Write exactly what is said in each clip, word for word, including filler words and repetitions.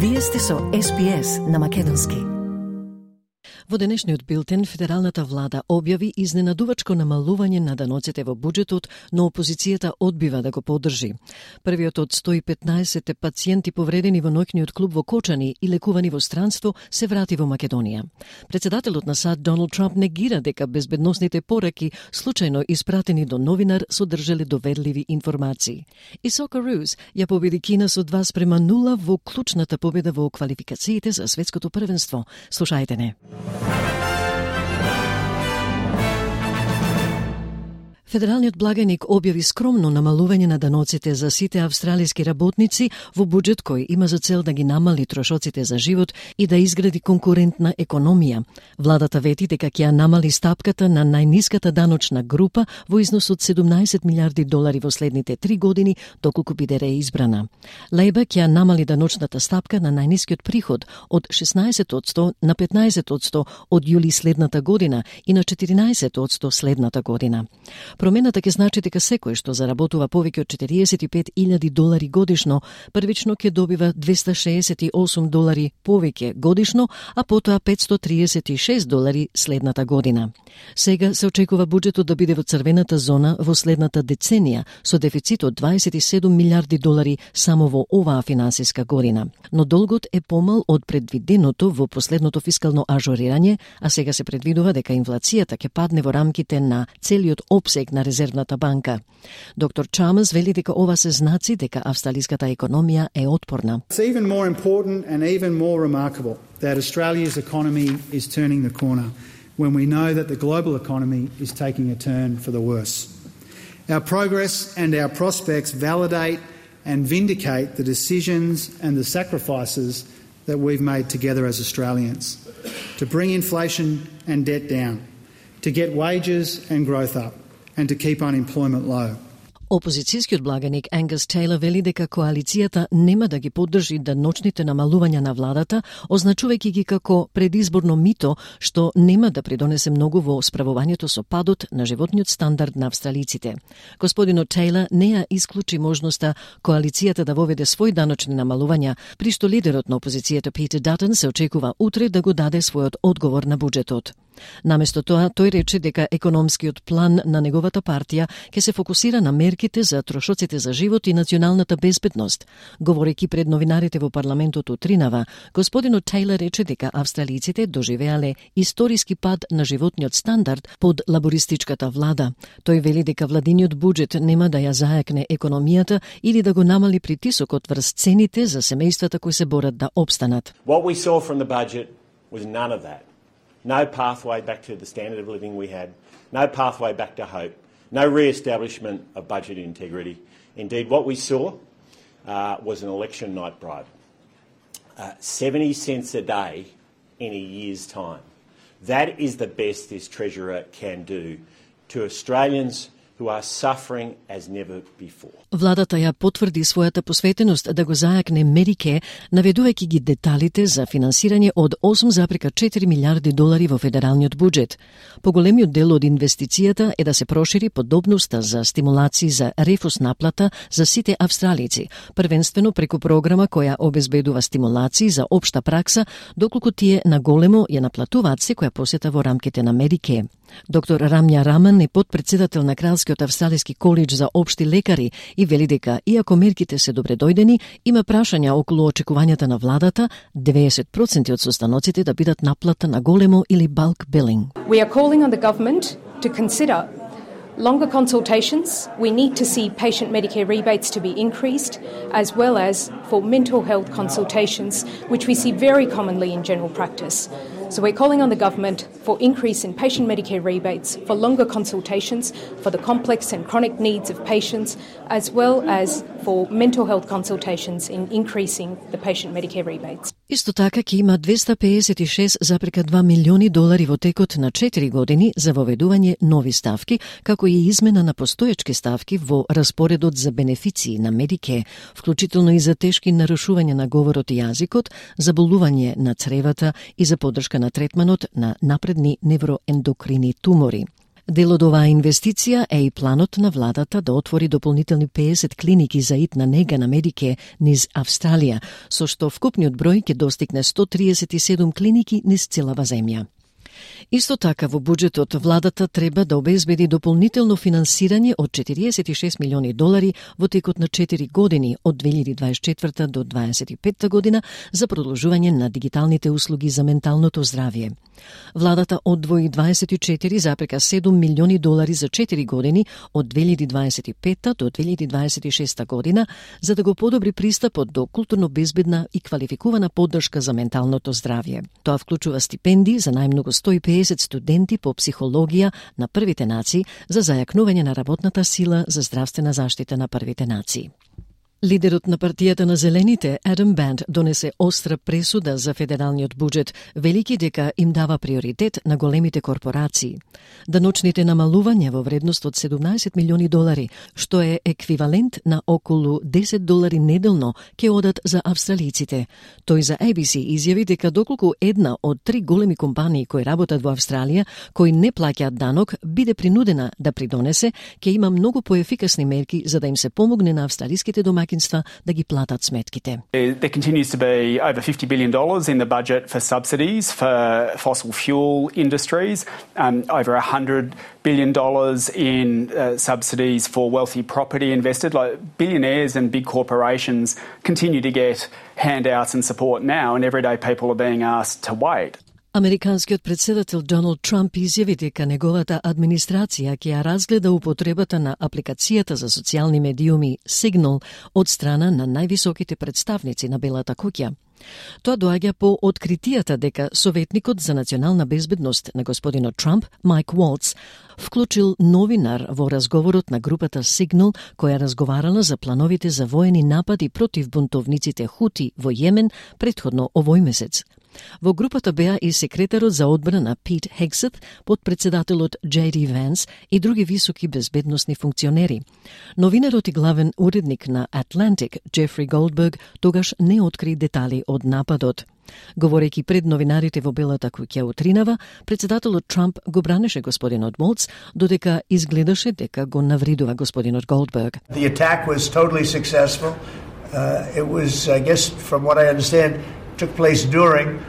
Вие сте со Ес Би Ес на македонски. Во денешниот билтен, федералната влада објави изненадувачко намалување на даноците во буџетот, но опозицијата одбива да го поддржи. Првиот од сто и петнаесет пациенти повредени во ноќниот клуб во Кочани и лекувани во странство се врати во Македонија. Председателот на САД Доналд Трамп негира дека безбедносните пораки, случајно испратени до новинар, содржале доверливи информации. И Сокероос ја победи Кина со два спрема нула во клучната победа во квалификациите за светското првенство. Слушајте не. Федералниот благајник објави скромно намалување на даноците за сите австралиски работници во буџет кој има за цел да ги намали трошоците за живот и да изгради конкурентна економија. Владата вети дека ќе ја намали стапката на најниската даночна група во износ од седумнаесет милиарди долари во следните три години, доколку биде реизбрана. Лејбер ќе ја намали даночната стапка на најнискиот приход од шеснаесет одсто на петнаесет одсто од јули следната година и на четиринаесет одсто следната година. Промената ќе значи дека секој што заработува повеќе од четириесет и пет илјади долари годишно, првично ќе добива двеста шеесет и осум долари повеќе годишно, а потоа петстотини триесет и шест долари следната година. Сега се очекува буџетот да биде во црвената зона во следната деценија, со дефицит од дваесет и седум милиарди долари само во оваа финансиска година. Но долгот е помал од предвиденото во последното фискално ажурирање, а сега се предвидува дека инфлацијата ќе падне во рамките на целиот опсег на Резервната банка. Доктор Чамас вели дека ова се знаци дека австралиската економија е отпорна. It's even more important and even more remarkable that Australia's economy is turning the corner when we know that the global economy is taking a turn for the worse. Our progress and our prospects validate and vindicate the decisions and the sacrifices that we've made together as Australians to bring inflation and debt down, to get wages and growth up, and to keep unemployment low. Опозицијскиот благаник Енгас Тейлор вели дека коалицијата нема да ги поддржи даночните намалувања на владата, означувајќи ги како предизборно мито, што нема да придонесе многу во справувањето со падот на животниот стандард на австралиците. Господинот Тейлор не ја исклучи можноста коалицијата да воведе свој даночни намалувања, при што лидерот на опозицијата Питер Датон се очекува утре да го даде својот одговор на буџетот. Наместо тоа, тој рече дека економскиот план на неговата партија ќе се фокусира на мерките за трошоците за живот и националната безбедност. Говорејќи пред новинарите во парламентот утринава, господинот Тейлор рече дека австралиците доживеале историски пад на животниот стандард под лабористичката влада. Тој вели дека владиниот буџет нема да ја зајакне економијата или да го намали притисокот врз цените за семејствата кои се борат да опстанат. What we saw from the budget was none of that. No pathway back to the standard of living we had, no pathway back to hope, no re-establishment of budget integrity. Indeed, what we saw uh, was an election night bribe. Uh, seventy cents a day in a year's time. That is the best this Treasurer can do to Australians who are suffering as never before. Владата ја потврди својата посветеност да го зајакне Медике, наведувајќи ги деталите за финансирање од осум зарез четири милиарди долари во федералниот буџет. Поголемиот дел од инвестицијата е да се прошири подобноста за стимулации за рефус наплата за сите австралици, првенствено преку програма која обезбедува стимулации за општа пракса, доколку тие на големо ја наплатуваат секоја посета во рамките на Медике. Доктор Рамја Раман е подпредседател на Кралскиот австралиски колидж за општи лекари и вели дека, иако мерките се добредојдени, има прашања околу очекувањата на владата деветдесет проценти од состаноците да бидат наплата на големо или bulk billing. We are calling on the government to consider longer consultations. We need to see patient Medicare rebates to be increased, as well as for mental health consultations, which we see very commonly in general practice. So we're calling on the government for increase in patient Medicare rebates, for longer consultations, for the complex and chronic needs of patients, as well as for mental health consultations in increasing the patient Medicare rebates. Исто така ќе има двеста пеесет и шест зарез два милиони долари во текот на четири години за воведување нови ставки, како и измена на постоечки ставки во распоредот за бенефиции на Медике, вклучително и за тешки нарушувања на говорот и јазикот, заболување на цревата и за поддршка на третманот на напредни невроендокрини тумори. Дел од оваа инвестиција е и планот на владата да отвори дополнителни педесет клиники за итна нега на Медике низ Австралија, со што вкупниот број ќе достигне сто триесет и седум клиники низ целава земја. Исто така во буџетот владата треба да обезбеди дополнително финансирање од четириесет и шест милиони долари во текот на четири години од две илјади дваесет и четврта до дваесет и петта година за продолжување на дигиталните услуги за менталното здравје. Владата одвои дваесет и четири зарез седум милиони долари за четири години од две илјади дваесет и петта до две илјади дваесет и шеста година за да го подобри пристапот до културно безбедна и квалификувана поддршка за менталното здравје. Тоа вклучува стипендии за најмногу сто и педесет студенти по психологија на првите нации за зајакнување на работната сила за здравствена заштита на првите нации. Лидерот на партијата на Зелените, Адам Банд, донесе остра пресуда за федералниот буџет, велики дека им дава приоритет на големите корпорации. Даночните намалувања во вредност од седумнаесет милиони долари, што е еквивалент на околу десет долари неделно, ќе одат за австралиците. Тој за A B C изјави дека доколку една од три големи компании кои работат во Австралија, кои не плаќаат данок, биде принудена да придонесе, ќе има многу поефикасни мерки за да им се помогне на австралиските домаќинства да ги платат сметките. There continues to be over fifty billion dollars in the budget for subsidies for fossil fuel industries, um, over one hundred billion dollars in uh, subsidies for wealthy property investors. Like billionaires and big corporations continue to get handouts and support now, and everyday people are being asked to wait. Американскиот председател Доналд Трамп изјави дека неговата администрација ќе ја разгледа употребата на апликацијата за социјални медиуми Signal од страна на највисоките представници на Белата куќа. Тоа доаѓа по откритијата дека советникот за национална безбедност на господинот Трамп, Майк Уолц, вклучил новинар во разговорот на групата Signal, која разговарала за плановите за воени напади против бунтовниците Хути во Јемен претходно овој месец. Во групата беа и секретарот за одбрана Пит Хексет, подпредседателот Джей Ди Венс и други високи безбедносни функционери. Новинарот и главен уредник на Atlantic, Джефри Голдберг, тогаш не откри детали од нападот. Говорејќи пред новинарите во Белата куќа утринава, председателот Трамп го бранеше господинот Молц, додека изгледаше дека го навредува господинот Голдберг. The attack was totally successful. Uh, it was, I guess, from what I understand, took place during,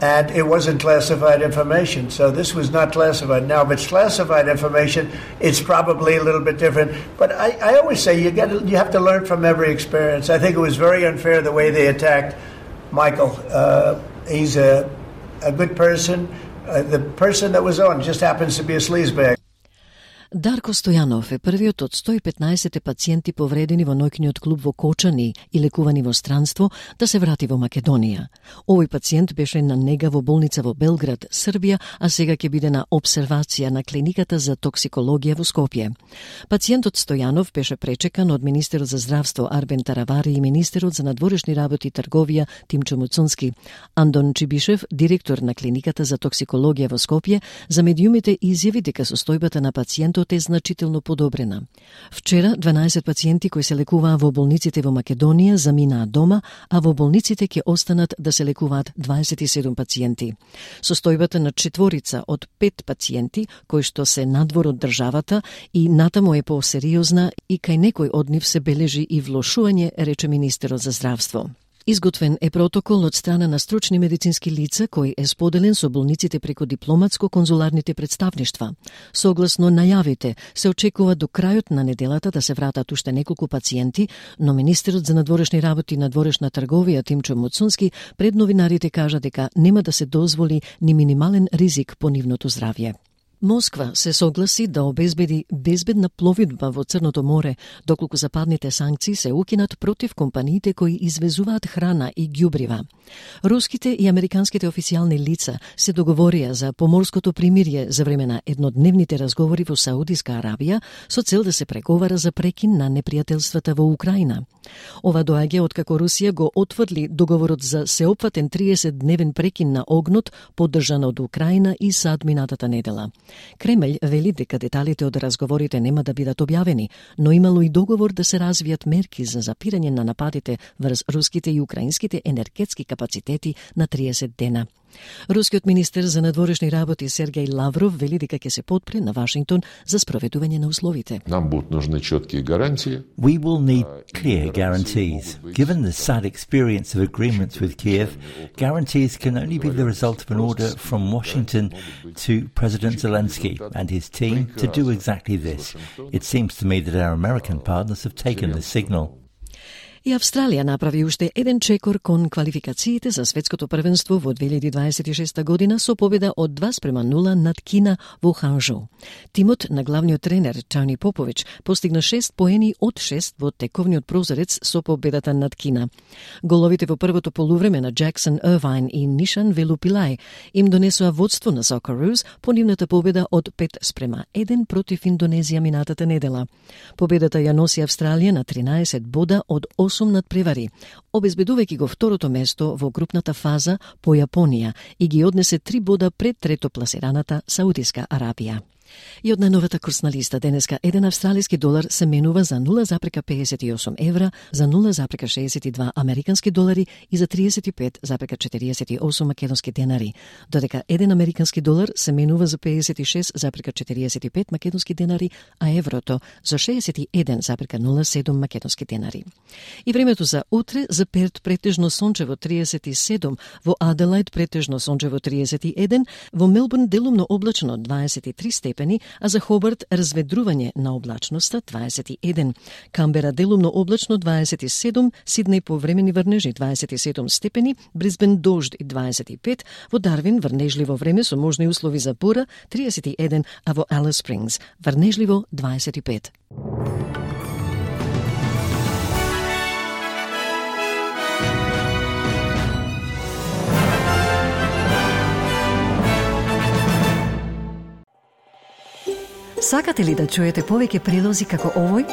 and it wasn't classified information. So this was not classified. Now, if it's classified information, it's probably a little bit different. But I, I always say you get you have to learn from every experience. I think it was very unfair the way they attacked Michael. Uh, he's a a good person. Uh, the person that was on just happens to be a sleazebag. Дарко Стојанов е првиот од сто и петнаесет пациенти повредени во ноќниот клуб во Кочани и лекувани во странство да се врати во Македонија. Овој пациент беше на нега во болница во Белград, Србија, а сега ќе биде на обсервација на клиниката за токсикологија во Скопје. Пациентот Стојанов беше пречекан од министерот за здравство Арбен Таравари и министерот за надворешни работи и трговија Тимчо Муцунски. Андон Чибишев, директор на клиниката за токсикологија во Скопје, за медиумите изјави дека состојбата на пациентот е значително подобрена. Вчера дванаесет пациенти кои се лекуваа во болниците во Македонија заминаа дома, а во болниците ќе останат да се лекуваат дваесет и седум пациенти. Состојбата на четворица од пет пациенти кои што се надвор од државата и натаму е посериозна и кај некој од нив се бележи и влошување, рече министерот за здравство. Изготвен е протокол од страна на стручни медицински лица кој е споделен со болниците преку дипломатско-конзуларните представништва. Согласно најавите, се очекува до крајот на неделата да се вратат уште неколку пациенти, но министерот за надворешни работи и надворешна трговија Тимчо Муцунски пред новинарите кажа дека нема да се дозволи ни минимален ризик по нивното здравје. Москва се согласи да обезбеди безбедна пловидба во Црното море, доколку западните санкции се укинат против компаниите кои извезуваат храна и ѓубрива. Руските и американските официјални лица се договорија за поморското примирие за време на еднодневните разговори во Саудиска Арабија со цел да се преговара за прекин на непријателствата во Украина. Ова доаѓа откако Русија го отврли договорот за сеопфатен триесет дневен прекин на огнот поддржан од Украина и САД минатата недела. Кремљ вели дека деталите од разговорите нема да бидат објавени, но имало и договор да се развијат мерки за запирање на нападите врз руските и украинските енергетски капацитети на триесет дена. Рускиот министер за надворешни работи Сергеј Лавров вели дека ќе се подпре на Вашингтон за спроведување на условите. Нам будут нужны четкие гарантии. We will need clear guarantees. Given the sad experience of agreements with Kiev, guarantees can only be the result of an order from Washington to President Zelensky and his team to do exactly this. It seems to me that our American partners have taken this signal. И Австралија направи уште еден чекор кон квалификациите за светското првенство во две илјади дваесет и шеста година со победа од два спрема нула над Кина во Ханжоу. Тимот на главниот тренер Тони Попович постигна шест поени од шест во тековниот прозорец со победата над Кина. Головите во првото полувреме на Джексон Ирвайн и Нишан Велупилај им донесоа водство на Socceroos по нивната победа од пет спрема еден против Индонезија минатата недела. Победата ја носи Австралија на тринаесет бода од осум надпревари, обезбедувајќи го второто место во групната фаза по Јапонија и ги однесе три бода пред трето пласираната Саудиска Арабија. И од најновата курсна листа денеска еден австралиски долар се менува за нула запрека педесет и осум евра, за нула запрека шеесет и два американски долари и за тридесет и пет запрека четириесет и осум македонски денари, додека еден американски долар се менува за педесет и шест запрека четириесет и пет македонски денари, а еврото за шеесет и еден запрека нула седум македонски денари. И времето за утре: за Перт претежно сончево триесет и седум, во Аделајд претежно сончево триесет и еден, во Мелбурн делумно облачно дваесет и три степени, а за Хобарт разведрување на облачноста дваесет и еден. Камбера делумно облачно дваесет и седум, Сиднеј повремени врнежи дваесет и седум степени, Брисбен дожд и дваесет и пет, во Дарвин врнежливо време со можни услови за бура триесет и еден, а во Алис Спрингс врнежливо дваесет и пет. Сакате ли да чуете повеќе прилози како овој?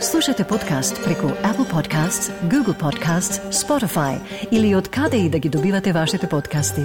Слушате подкаст преку Apple Podcasts, Google Podcasts, Spotify или од каде и да ги добивате вашите подкасти.